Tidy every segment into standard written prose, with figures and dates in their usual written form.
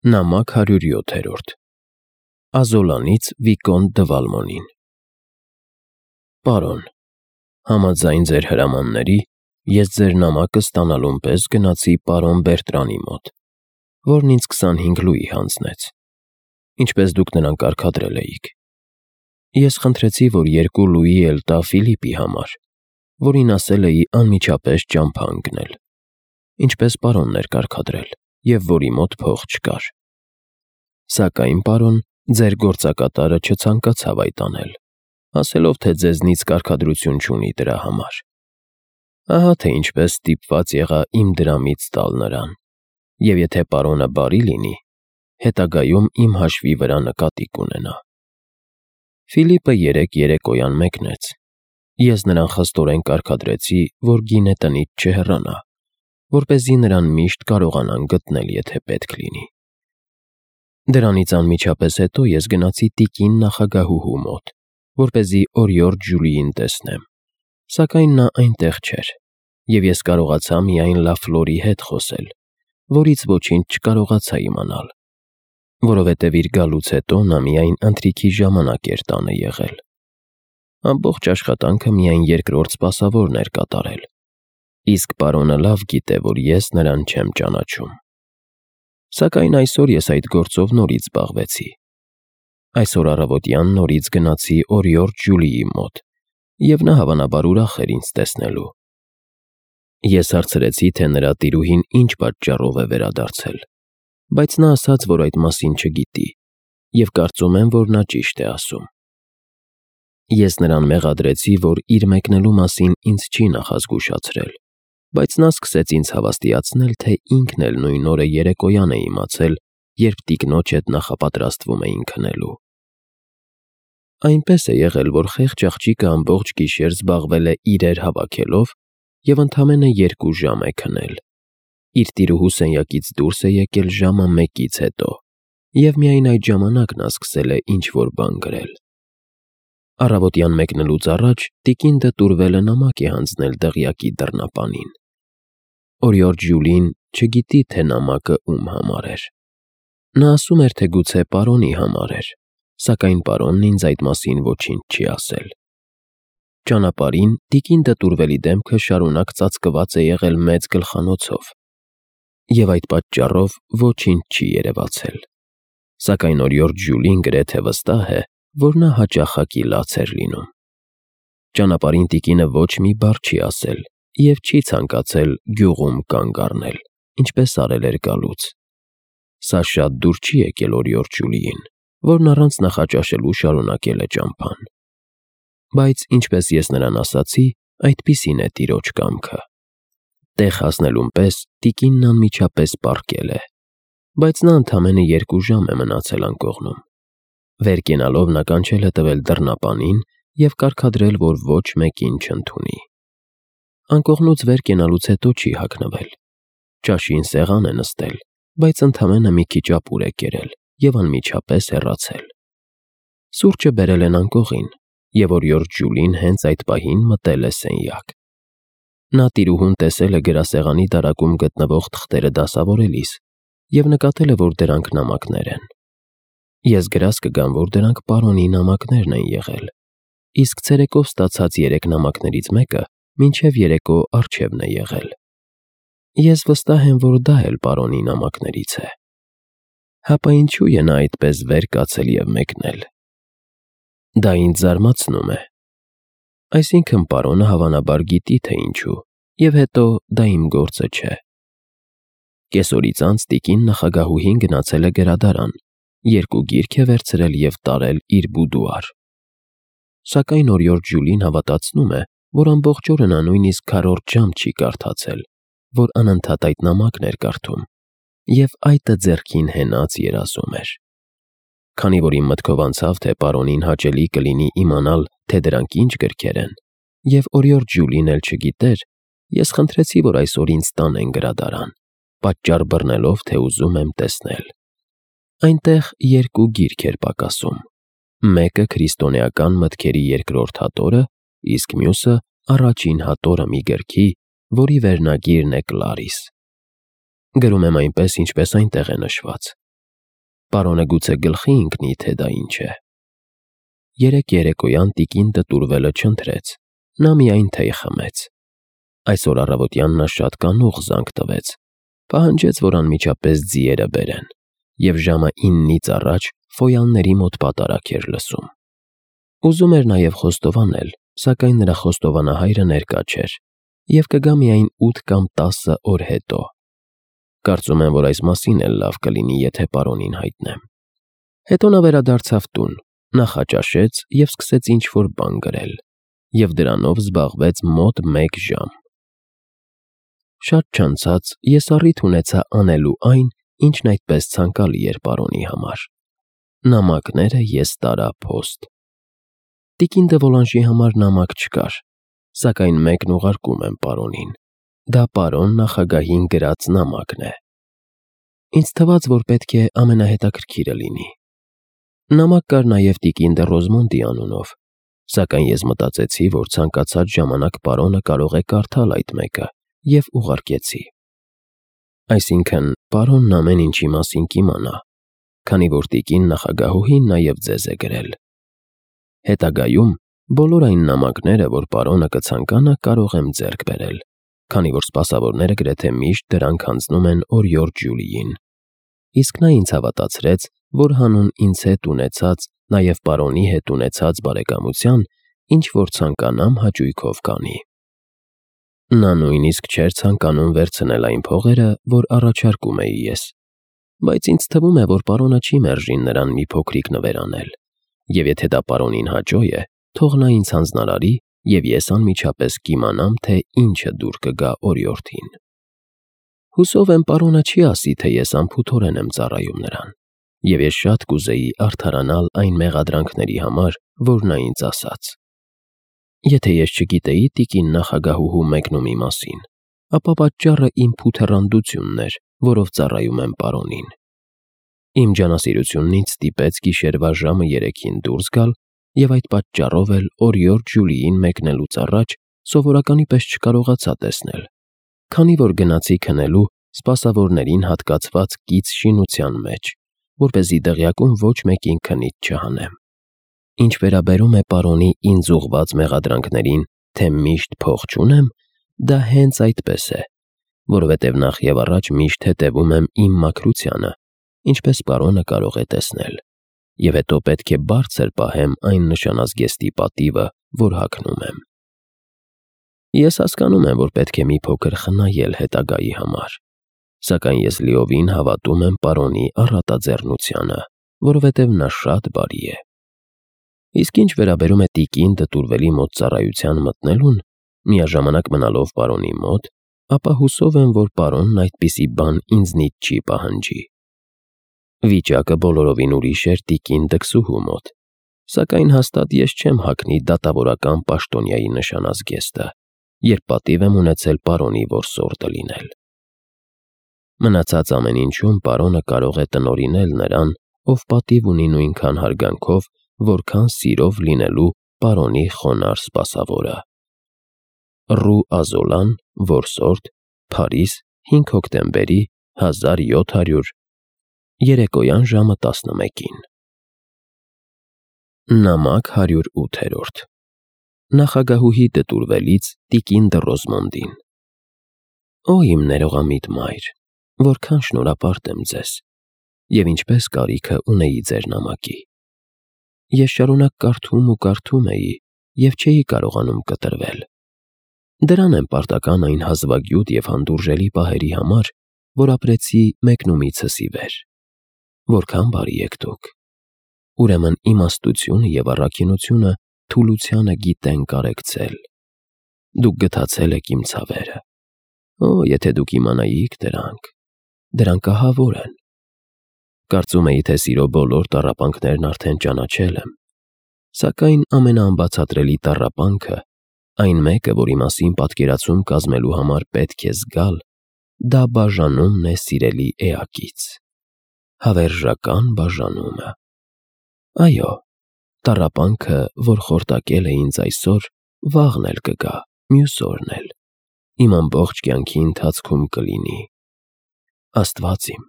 Նամակ 107 Ազոլանից Վիկոնտ դը Վալմոնին Պարոն, համաձայն ձեր հրամանների, ես ձեր նամակը ստանալուն պես գնացի պարոն Բերտրանի մոտ, որն ինձ 25 լուի հանձնեց, ինչպես դուք նրան կարգադրել էիք։ Ես խնդրեցի, որ 2 լուի էլ տա Ֆիլիպի համար, որին ասել էի անմիջապես ճամփա ընկնել, ինչպես պարոնն էր կարգադրել, և որի մոտ փող չկար։ Սակայն, պարոն, ձեր գործակատարը չցանկացավ այդ անել, ասելով, թե ձեզնից կարգադրություն չունի դրա համար։ Ահա թե ինչպես ստիպված եղա իմ դրամից տալ նրան, և եթե պարոնը բարի լինի, հետագայում իմ հաշվի վրա նկատի կունենա։ Ֆիլիպը երեկոյան մեկնեց։ Ես նրան խստորեն կարգադրեցի, որ գինե տնից չհեռանա, որպեսզի նրան միշտ կարողանան գտնել, եթե պետք լինի։ Դրանից անմիջապես հետո ես գնացի տիկին նախագահուհու մոտ, որպեսզի օրիորդ Ջուլիին տեսնեմ, սակայն նա այնտեղ չէր, և ես կարողացա միայն Լաֆլորի հետ խոսել, որից ոչինչ չկարողացա իմանալ, որովհետև իր գալուց հետո նա միայն ընթրիքի ժամանակ էր տանը եղել։ Ամբողջ աշխատանքը միայն երկրորդ սպասավորն էր կատարել, իսկ պարոնը լավ գիտե, որ ես նրան չեմ ճանաչում։ Սակայն այսօր ես այդ գործով նորից զբաղվեցի։ Այսօր առավոտյան նորից գնացի օրիորդ Ջուլիի մոտ, և նա հավանաբար ուրախ էր ինձ տեսնելու։ Ես հարցրեցի, թե նրա տիրուհին ինչ պատճառով է վերադարձել, բայց նա ասաց, որ այդ մասին չգիտի, և կարծում եմ, որ նա ճիշտ է ասում։ Ես նրան մեղադրեցի, որ իր մեկնելու մասին ինձ չի նախազգուշացրել, բայց նա սկսեց ինձ հավաստիացնել, թե ինքն էլ նույն օրը երեկոյան է իմացել, երբ տիկնոջ հետ նախապատրաստվում էին քնելու։ Այնպես է եղել, որ խեղճ աղջիկը ամբողջ գիշեր զբաղվել է իրեր հավաքելով և ընդամենը 2 ժամ է քնել։ Իր տիրուհու սենյակից դուրս է եկել ժամը 1-ից հետո, և միայն այդ ժամանակ նա սկսել է ինչ-որ բան գրել։ Առավոտյան մեկնելուց առաջ տիկին դը Տուրվելը նամակ է հանձնել դղյակի դռնապանին։ Օրիորդ Ջուլին չգիտի, թե նամակը ում համար էր։ Նա ասում էր, թե գուցե պարոնի համար էր, սակայն պարոնն ինձ այդ մասին ոչինչ չի ասել։ Ճանապարհին տիկին դը Տուրվելի դեմքը շարունակ ծածկված է եղել մեծ գլխանոցով, և այդ պատճառով ոչինչ չի երևացել։ Սակայն օրիորդ Ջուլին գրեթե վստահ է, որ նա հաճախակի լաց էր լինում։ Ճանապարհին տիկինը ոչ մի բառ չի ասել և չի ցանկացել գյուղում կանգ առնել, ինչպես արել էր գալուց։ Սա շատ դուր չի եկել օրիորդ Ջուլիին, որն առանց նախաճաշելու շարունակել է ճամփան։ Բայց, ինչպես ես նրան ասացի, այդպիսին է տիրոջ կամքը։ Տեղ հասնելուն պես տիկինն անմիջապես պառկել է, բայց նա ընդամենը 2 ժամ է մնացել անկողնում։ Վեր կենալով նա կանչել է տվել դռնապանին և կարգադրել, որ ոչ մեկին չընդունի։ Անկողնուց վեր կենալուց հետո չի հագնվել։ Ճաշին սեղան է նստել, բայց ընդամենը մի քիչ ապուր է կերել և անմիջապես հեռացել։ Սուրճը բերել են անկողին, և օրիորդ Ջուլին հենց այդ պահին մտել է սենյակ։ Նա տիրուհուն տեսել է գրասեղանի դարակում գտնվող թղթերը դասավորելիս և նկատել է, որ դրանք նամակներ են։ Ես գրազ կգամ, որ դրանք պարոնի նամակներն են եղել, իսկ ցերեկով ստացած 3 նամակներից մեկը մինչև երեկո առջևն է եղել։ Ես վստահ եմ, որ դա էլ պարոնի նամակներից է։ Հապա ինչու է նա այդպես վեր կացել և մեկնել։ Դա ինձ զարմացնում է։ Այսինքն պարոնը հավանաբար գիտի, թե ինչու, և հետո դա իմ գործը չէ։ Կեսօրից անց տիկին նախագահուհին գնացել է գրադարան, 2 գիրք է վերցրել և տարել իր բուդուար։ Սակայն օրիորդ Ջուլին հավատացնում է, որ ամբողջ օրը նա նույնիսկ քառորդ ժամ չի կարդացել, որ անընդհատ այդ նամակն էր կարդում, և այտը ձեռքին հենած երազում էր։ Քանի որ իմ մտքով անցավ, թե պարոնին հաճելի կլինի իմանալ, թե դրանք ինչ գրքեր են, և օրիորդ Ջուլին էլ չգիտեր, ես խնդրեցի, որ այսօր ինձ տանեն գրադարան, պատճառ բռնելով, թե ուզում եմ տեսնել։ Այնտեղ 2 գիրք էր պակասում։ Մեկը քրիստոնեական մտքերի 2-րդ հատորը, իսկ մյուսը առաջին հատորը մի գրքի, որի վերնագիրն է Կլարիս։ Գրում եմ այնպես, ինչպես այնտեղ է նշված, Պարոնը գուցե գլխի ընկնի, թե դա ինչ է։ Երեկ երեկոյան տիկին տտուրվելը չընթրեց, նա միայն թեյ խմեց։ Այսօր առավոտյան նա շատ կանուխ զանգ տվեց, պահանջեց, որ անմիջապես ձիերը բերեն, և ժամը 9-ից առաջ Ֆոյանների մոտ պատարագ էր լսում։ Ուզում էր նաև խոստովանել, սակայն նրա խոստովանահայրը ներկա չէր և կգա միայն 8 կամ 10 օր հետո։ Կարծում եմ, որ այս մասին էլ լավ կլինի, եթե պարոնին հայտնեմ։ Հետո նա վերադարձավ տուն, նախաճաշեց և սկսեց ինչ-որ բան գրել, և դրանով զբաղվեց մոտ 1 ժամ։ Շատ չանցած ես առիթ ունեցա անելու այն, ինչն այդպես ցանկալի էր պարոնի համար։ Նամակները ես տարա փոստ։ Տիկին դե Վոլանժի համար նամակ չկար, սակայն մեկն ուղարկում եմ պարոնին։ Դա պարոն նախագահին գրած նամակն է։ Ինձ թվաց, որ պետք է ամենահետաքրքիրը լինի։ Նամակ կար նաև տիկին դե Ռոզմոնդի անունով, սակայն ես մտածեցի, որ ցանկացած ժամանակ պարոնը կարող է կարդալ այդ մեկը, և ուղարկեցի։ Այսինքն, պարոնն ամեն ինչի մասին կիմանա, քանի որ տիկին նախագահուհին նաև ձեզ է գրել։ Հետագայում բոլոր այն նամակները, որ պարոնը կցանկանա, կարող եմ ձեռք բերել, քանի որ սպասավորները գրեթե միշտ դրանք հանձնում են օրիորդ Ջուլիին։ Իսկ նա ինձ հավատացրեց, որ հանուն ինձ հետ ունեցած, նաև պարոնի հետ ունեցած բարեկամության, ինչ-որ ցանկանամ հաճույքով կանի։ Նա նույնիսկ չէր ցանկանում վերցնել այն փողերը, որ առաջարկում էի ես, բայց ինձ թվում է, որ պարոնը չի մերժին նրան մի փոքրիկ նվեր անել, և եթե դա պարոնին հաճո է, թող նա ինձ հանձնարարի, և ես անմիջապես կիմանամ, թե ինչը դուր կգա օրիորդին։ Հուսով եմ պարոնը չի ասի, թե ես անփութորեն եմ ծառայում նրան, և ես շատ կուզեի արդարանալ այն մեղադրանքների համար, որ նա ինձ ասաց։ Եթե ես չգիտեի տիկին նախագահուհու մեկնումի մասին, ապա պատճառը իմ փութեռանդությունն էր, որով ծառայում եմ պարոնին։ Իմ ջանասիրությունն ինձ ստիպեց գիշերվա ժամը 3-ին դուրս գալ և այդ պատճառով էլ օրիորդ Ջուլիին մեկնելուց առաջ սովորականի պես չկարողացա տեսնել, քանի որ գնացի քնելու սպասավորներին հատկացված կից շինության մեջ, որպեսզի դղյակում ոչ մեկին քնից չհանեմ։ Ինչ վերաբերում է պարոնի ինձ ուղղված մեղադրանքներին, թե միշտ փող չունեմ, դա հենց այդպես է, որովհետև նախ և առաջ միշտ հետևում եմ իմ մաքրությանը, ինչպես պարոնը կարող է տեսնել, և հետո պետք է բարձր պահեմ այն նշանազգեստի պատիվը, որ հագնում եմ։ Ես հասկանում եմ, որ պետք է մի փոքր խնայել հետագայի համար, սակայն ես լիովին հավատում եմ պարոնի առատաձեռնությանը, որովհետև նա շատ բարի է։ Իսկ ինչ վերաբերում է տիկին դտուրվելի մոտ ծառայության մտնելուն, միաժամանակ մնալով պարոնի մոտ, ապա հուսով եմ, որ պարոնն այդպիսի բան ինձնից չի պահանջի։ Վիճակը բոլորովին ուրիշ էր տիկին դքսուհու մոտ, սակայն հաստատ ես չեմ հագնի դատավորական պաշտոնյայի նշանազգեստը, երբ պատիվ եմ ունեցել պարոնի որսորդը լինել։ Մնացած ամեն ինչում պարոնը կարող է տնօրինել նրան, ով պատիվ ունի նույնքան հարգանքով, որքան սիրով լինելու պարոնի խոնարհ սպասավորը։ Ռու Ազոլան, որսորդ, Փարիզ, 5 հոկտեմբերի 1700 երեկոյան ժամը 11-ին։ Նամակ 108-րդ Նախագահուհի դտուրվելից տիկին դը Ռոզմոնդին։ Օ իմ ներողամիտ մայր, որքան շնորհապարտ եմ ձեզ, և ինչպես կարիքը ունեի ձեր նամակի։ Ես շարունակ կարդում էի և չէի կարողանում կտրվել։ Դրան եմ պարտական այն հազվագյուտ և հանդուրժելի պահերի համար, որ ապրեցի մեկնումիցս ի վեր։ Որքան բարի եք դուք։ Ուրեմն իմաստությունը և առաքինությունը թուլությանը գիտեն կարեկցել։ Դուք գթացել եք իմ ցավերը։ Օ, եթե դուք իմանայիք դրանք ահավոր են։ Կարծում էի, թե սիրո բոլոր տառապանքներն արդեն ճանաչել եմ, սակայն ամենաանբացատրելի տառապանքը, այն մեկը, որի մասին պատկերացում կազմելու համար պետք է զգալ, դա բաժանումն է սիրելի էակից։ Հավերժական բաժանումը։ Այո, տառապանքը, որ խորտակել է ինձ այսօր, վաղն էլ կգա, մյուս օրն էլ, իմ ամբողջ կյանքի ընթացքում կլինի։ Աստված իմ,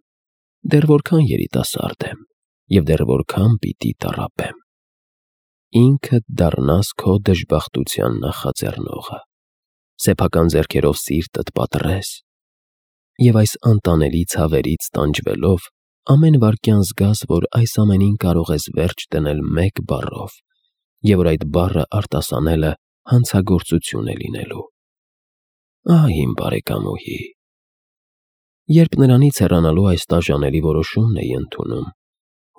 դեռ որքան երիտասարդ եմ։ և դեռ որքան պիտի տառապեմ։ Ինքդ դառնաս քո դժբախտության նախաձեռնողը, սեփական ձեռքերով սիրտդ պատռես և այս անտանելի ցավերից տանջվելով ամեն վայրկյան զգաս, որ այս ամենին կարող ես վերջ դնել մեկ բառով և որ այդ բառը արտասանելը հանցագործություն է լինելու։ Ահա իմ բարեկամուհի, երբ նրանից հեռանալու այս տաժանելի որոշումն էի ընդունում,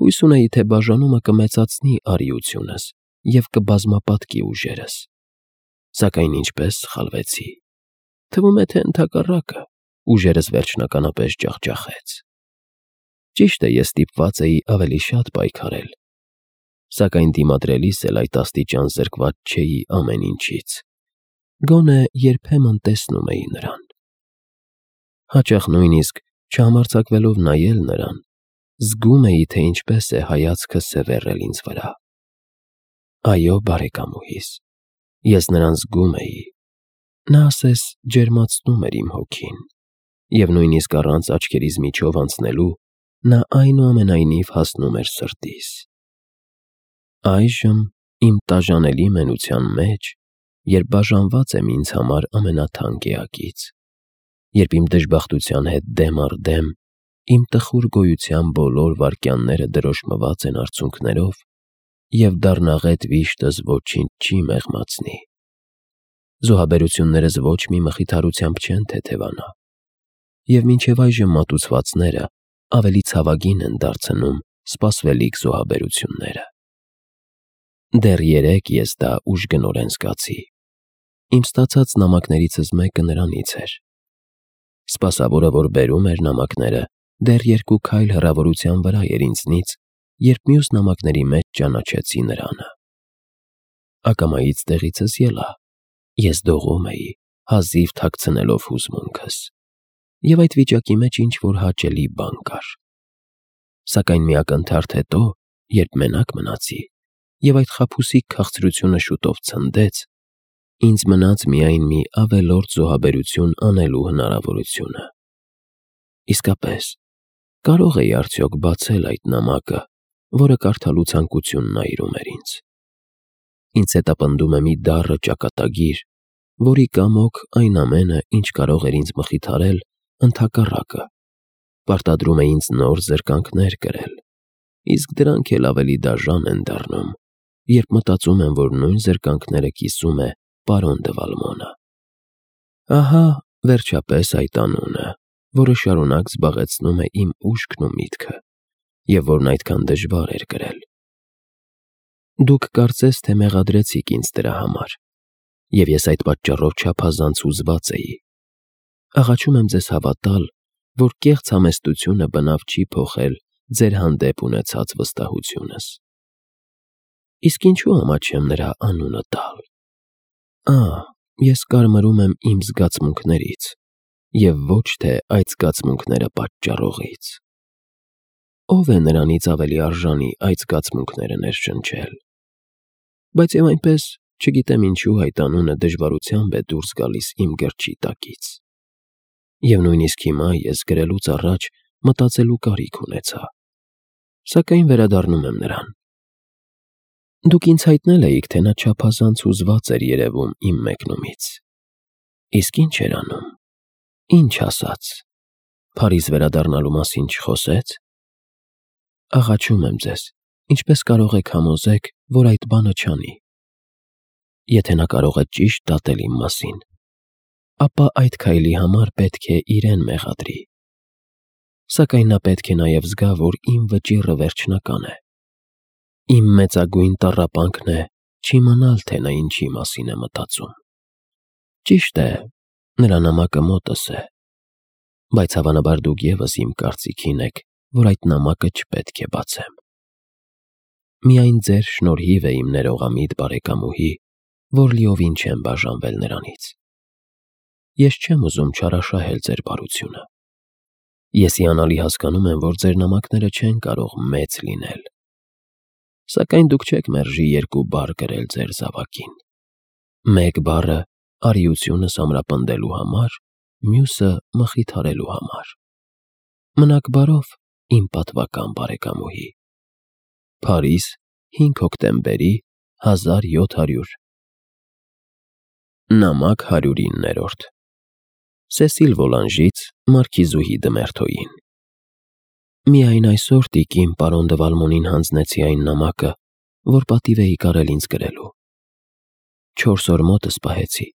հույս ունեի, թե բաժանումը կմեծացնի արիությունս և կբազմապատկի ուժերս, սակայն ինչպես սխալվեցի։ Թվում է, թե ընդհակառակը, ուժերս վերջնականապես ջախջախեց։ Ճիշտ է, ես ստիպված էի ավելի շատ պայքարել, սակայն դիմադրելիս էլ այդ աստիճան զրկված չէի ամեն ինչից, գոնե երբեմն տեսնում էի նրան։ Հաճախ նույնիսկ չհամարձակվելով նայել նրան, զգում էի, թե ինչպես է հայացքը սևեռել ինձ վրա։ Այո, բարեկամուհիս, ես նրան զգում էի, նա ասես ջերմացնում էր իմ հոգին, և նույնիսկ առանց աչքերիս միջով անցնելու նա այնուամենայնիվ հասնում էր սրտիս։ Այժմ իմ տաժանելի մենության մեջ, երբ բաժանված եմ ինձ համար ամենաթանկ էակից, երբ իմ դժբախտության հետ դեմ առ դեմ իմ տխուր գոյության բոլոր վայրկյանները դրոշմված են արցունքներով, և դառնաղետ վիշտս ոչինչ չի մեղմացնի, զոհաբերություններս ոչ մի մխիթարությամբ չեն թեթևանա, և մինչև այժմ մատուցվածները ավելի ցավագին են դարձնում սպասվելիք զոհաբերությունները։ Դեռ երեկ ես դա ուժգնորեն զգացի։ Իմ ստացած նամակներիցս մեկը նրանից էր։ Սպասավորը, որ բերում էր նամակները, դեռ 2 քայլ հեռավորության վրա էր ինձնից, երբ մյուս նամակների մեջ ճանաչեցի նրանը։ Ակամայից տեղիցս ելա, ես դողում էի, հազիվ թաքցնելով հուզմունքս, և այդ վիճակի մեջ ինչ-որ հաճելի բան կար։ Սակայն մի ակնթարթ հետո, երբ մենակ մնացի, և այդ խաբուսիկ քաղցրությունը շուտով ցնդեց, ինձ մնաց միայն մի ավելորդ զոհաբերություն անելու հնարավորությունը։ Իսկապես, կարո՞ղ էի արդյոք բացել այդ նամակը, որը կարդալու ցանկությունն այրում էր ինձ։ Ինձ հետապնդում է մի դառը ճակատագիր, որի կամոք այն ամենը, ինչ կարող էր ինձ մխիթարել, ընդհակառակը, պարտադրում է ինձ նոր զրկանքներ կրել, իսկ դրանք էլ ավելի դաժան են դառնում, երբ մտածում եմ, որ նույն զրկանքները կիսում է պարոն դը Վալմոնը։ Ահա, վերջապես, այդ անունը, որը շարունակ զբաղեցնում է իմ ուշքն ու միտքը, և որն այդքան դժվար էր կրել։ Դուք կարծես թե մեղադրեցիք ինձ դրա համար, և ես այդ պատճառով չափազանց հուզված էի։ Աղաչում եմ ձեզ հավատալ, որ կեղծ համեստությունը բնավ չի փոխել ձեր հանդեպ ունեցած վստահությունս։ Իսկ ինչու ամաչեմ նրա անունը տալ։ Ես կարմրում եմ իմ զգացմունքներից, և ոչ թե այդ զգացմունքները պատճառողից։ Ո՞վ է նրանից ավելի արժանի այդ զգացմունքները ներշնչել։ Բայց և այնպես, չգիտեմ ինչու այդ անունը դժվարությամբ է դուրս գալիս իմ գրչի տակից։ Եվ նույնիսկ հիմա ես գրելուց առաջ մտածելու կարիք ունեցա, սակայն վերադառնում եմ նրան։ Դուք ինձ հայտնել էիք, թե նա չափազանց հուզված էր երևում իմ մեկնումից։ Իսկ ի՞նչ էր անում։ Ի՞նչ ասաց։ Փարիզ վերադառնալու մասին չխոսե՞ց։ Աղաչում եմ ձեզ, ինչպես կարող եք համոզեք, որ այդ բանը չանի։ Եթե նա կարող է ճիշտ դատել իմ մասին, ապա այդ քայլի համար պետք է իրեն մեղադրի։ Սակայն նա պետք է նաև զգա, որ իմ վճիռը վերջնական է։ Իմ մեծագույն տառապանքն է չիմանալ, թե նա ինչի մասին է մտածում։ Ճիշտ է, նրա նամակը մոտս է, բայց հավանաբար դուք ևս իմ կարծիքին եք, որ այդ նամակը չպետք է բացեմ։ Միայն ձեր շնորհիվ է իմ ներողամիտ բարեկամուհի, որ լիովին չեմ բաժանվել նրանից։ Ես չեմ ուզում չարաշահել ձեր բարությունը։ Ես հիանալի հասկանում եմ, որ ձեր նամակները չեն կարող մեծ լինել։ Սակայն դուք չեք մերժի 2 բառ գրել ձեր զավակին։ Մեկ բառը արիությունս ամրապնդելու համար, մյուսը մխիթարելու համար։ Մնաք բարով, իմ պատվական բարեկամուհի։ Փարիզ, 5 հոկտեմբերի 1700։ Նամակ 109-րդ Սեսիլ Վոլանժից Մարքիզուհի Դմերթոյին։ Միայն այսօր տիկին պարոն դը Վալմոնին հանձնեցի այն նամակը, որ պատիվ էի կարել ինձ գրելու։ 4 օր մոտս պահեցի,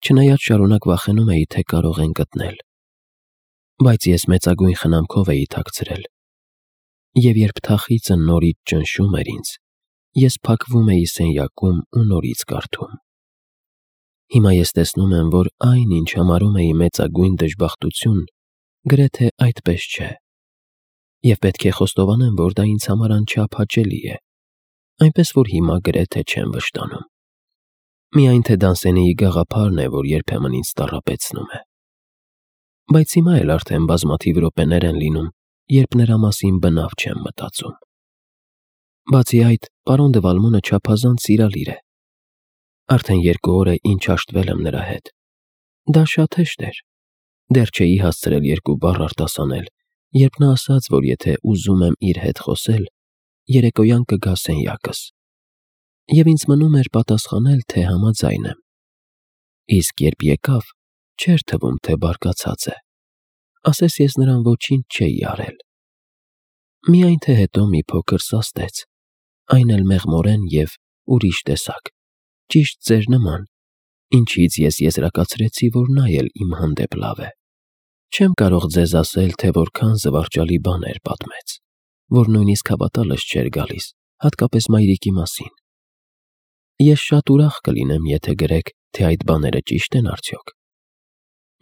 չնայած շարունակ վախենում էի, թե կարող են գտնել։ Բայց ես մեծագույն խնամքով էի թաքցրել։ Եվ երբ թախիծը նորից ճնշում էր ինձ, ես փակվում էի սենյակում ու նորից կարդում։ Հիմա ես տեսնում եմ, որ այն, ինչ համարում էի մեծագույն դժբախտություն, գրեթե այդպես չէ։ Եվ պետք է խոստովանեմ, որ դա ինձ համար անչափ հաճելի է, այնպես որ հիմա գրեթե չեմ վշտանում։ Միայն թե Դանսենիի գաղափարն է, որ երբեմն ինձ տառապեցնում է։ Բայց հիմա էլ արդեն բազմաթիվ րոպեներ են լինում, երբ նրա մասին բնավ չեմ մտածում։ Բացի այդ, պարոն դը Վալմոնը չափազանց սիրալիր է։ Արդեն 2 օր է, ինչ հաշտվել եմ նրա հետ։ Դա շատ հեշտ էր։ Դեռ չէի հասցրել 2 բառ արտասանել, երբ նա ասաց, որ եթե ուզում եմ իր հետ խոսել, երեկոյան կգա սենյակս։ Եվ ինձ մնում էր պատասխանել, թե համաձայն եմ։ Իսկ երբ եկավ, չէր թվում, թե բարկացած է։ Ասես ես նրան ոչինչ չէի արել։ Միայն թե հետո մի փոքր սաստեց, այն էլ մեղմորեն և ուրիշ տեսակ, ճիշտ ձեր նման, ինչից ես եզրակացրեցի, որ նա էլ իմ հանդեպ լավ է։ Չեմ կարող ձեզ ասել, թե որքան զվարճալի բաներ պատմեց, որ նույնիսկ հավատալս չէր գալիս, հատկապես մայրիկի մասին։ Ես շատ ուրախ կլինեմ, եթե գրեք, թե այդ բաները ճիշտ են արդյոք։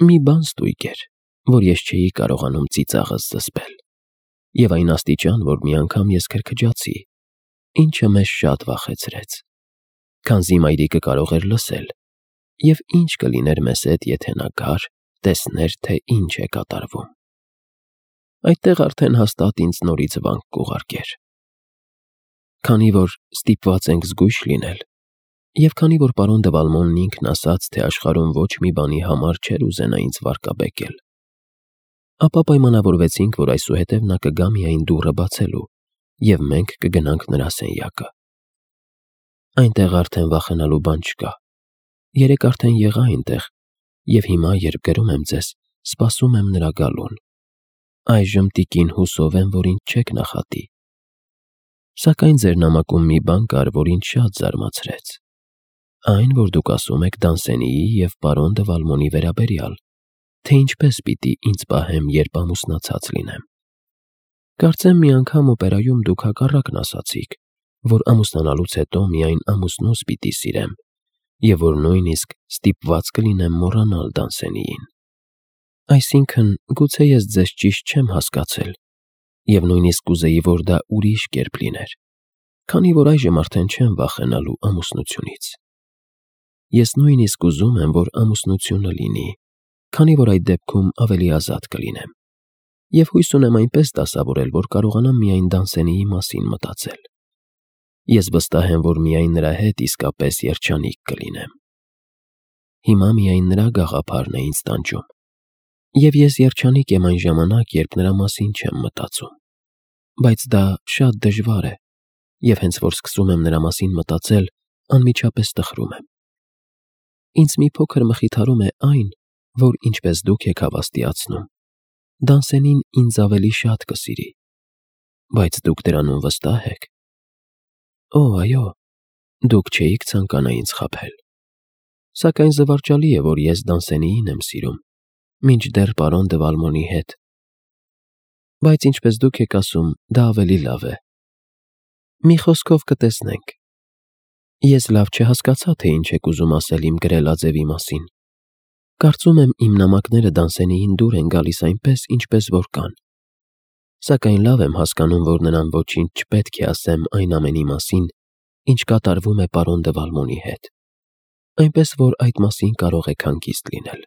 Մի բան ստույգ էր, որ ես չէի կարողանում ծիծաղս զսպել, և այն աստիճան, որ մի անգամ ես քրքջացի, ինչը մեզ շատ վախեցրեց, քանզի մայրիկը կարող էր լսել, և ինչ կլիներ մեզ հետ, եթե նա գար, տեսներ, թե ինչ է կատարվում։ Այդտեղ արդեն հաստատ ինձ նորից վանք կուղարկեր։ Քանի որ ստիպված ենք զգույշ լինել, և քանի որ պարոն դը Վալմոնն ինքն ասաց, թե աշխարհում ոչ մի բանի համար չէր ուզենա ինձ վարկաբեկել, ապա պայմանավորվեցինք, որ այսուհետև նա կգա միայն դուռը բացելու, և մենք կգնանք նրա սենյակը։ Այնտեղ արդեն վախենալու բան չկա։ Երեկ արդեն եղա այնտեղ, և հիմա, երբ գրում եմ ձեզ, սպասում եմ նրա գալուն։ Այժմ տիկին հուսով եմ, որ ինձ չեք նախատի։ Սակայն ձեր նամակում մի բան կար, որ ինձ շատ զարմացրեց։ Այն, որ դուք ասում եք Դանսենիի և պարոն դը Վալմոնի վերաբերյալ, թե ինչպես պիտի ինձ պահեմ, երբ ամուսնացած լինեմ։ Կարծեմ մի անգամ օպերայում դուք հակառակն ասացիք, որ ամուսնանալուց հետո միայն ամուսնուս պիտի սիրեմ, և որ նույնիսկ ստիպված կլինեմ մոռանալ Դանսենիին։ Այսինքն, գուցե ես ձեզ ճիշտ չեմ հասկացել, և նույնիսկ կուզեի, որ դա ուրիշ կերպ լիներ, քանի որ այժմ արդեն չեմ վախենալու ամուսնությունից։ Ես նույնիսկ ուզում եմ, որ ամուսնությունը լինի, քանի որ այդ դեպքում ավելի ազատ կլինեմ, և հույս ունեմ այնպես դասավորել, որ կարողանամ միայն Դանսենիի մասին մտածել։ Ես վստահ եմ, որ միայն նրա հետ իսկապես երջանիկ կլինեմ։ Հիմա միայն նրա գաղափարն է ինձ տանջում, և ես երջանիկ եմ այն ժամանակ, երբ նրա մասին չեմ մտածում։ Բայց դա շատ դժվար է, և հենց որ սկսում եմ նրա մասին մտածել, անմիջապես տխրում եմ։ Ինձ մի փոքր մխիթարում է այն, որ ինչպես դուք եք հավաստիացնում, Դանսենին ինձ ավելի շատ կսիրի։ Բայց դուք դրանում վստահ եք։ Օ, այո, դուք չէիք ցանկանա ինձ խաբել։ Սակայն զվարճալի է, որ ես Դանսենիին եմ սիրում, մինչդեռ պարոն դը Վալմոնի հետ։ Բայց ինչպես դուք եք ասում, դա ավելի լավ է։ Մի խոսքով կտեսնենք։ Ես լավ չհասկացա, թե ինչ եք ուզում ասել իմ գրելաձևի մասին։ Կարծում եմ իմ նամակները Դանսենիին դուր են գալիս այնպես, ինչպես որ կան։ Սակայն լավ եմ հասկանում, որ նրան ոչինչ չպետք է ասեմ այն ամենի մասին, ինչ կատարվում է պարոն դը Վալմոնի հետ։ Այնպես որ այդ մասին կարող եք հանգիստ լինել։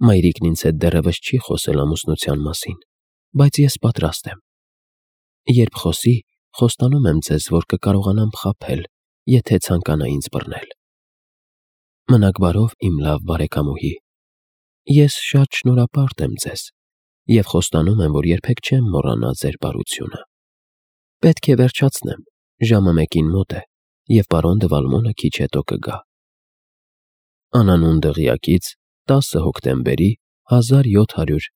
Մայրիկն ինձ հետ դեռևս չի խոսել ամուսնության մասին, բայց ես պատրաստ եմ։ Երբ խոսի, խոստանում եմ ձեզ, որ կկարողանամ խաբել, եթե ցանկանա ինձ բռնել։ Մնաք բարով, իմ լավ բարեկամուհի։ Ես շատ շնորհապարտ եմ ձեզ, և խոստանում եմ, որ երբեք չեմ մոռանա ձեր բարությունը։ Պետք է վերջացնեմ, ժամը 1-ին մոտ է, և պարոն դը Վալմոնը քիչ հետո կգա։ Անանուն դղյակից 10 հոկտեմբերի 1700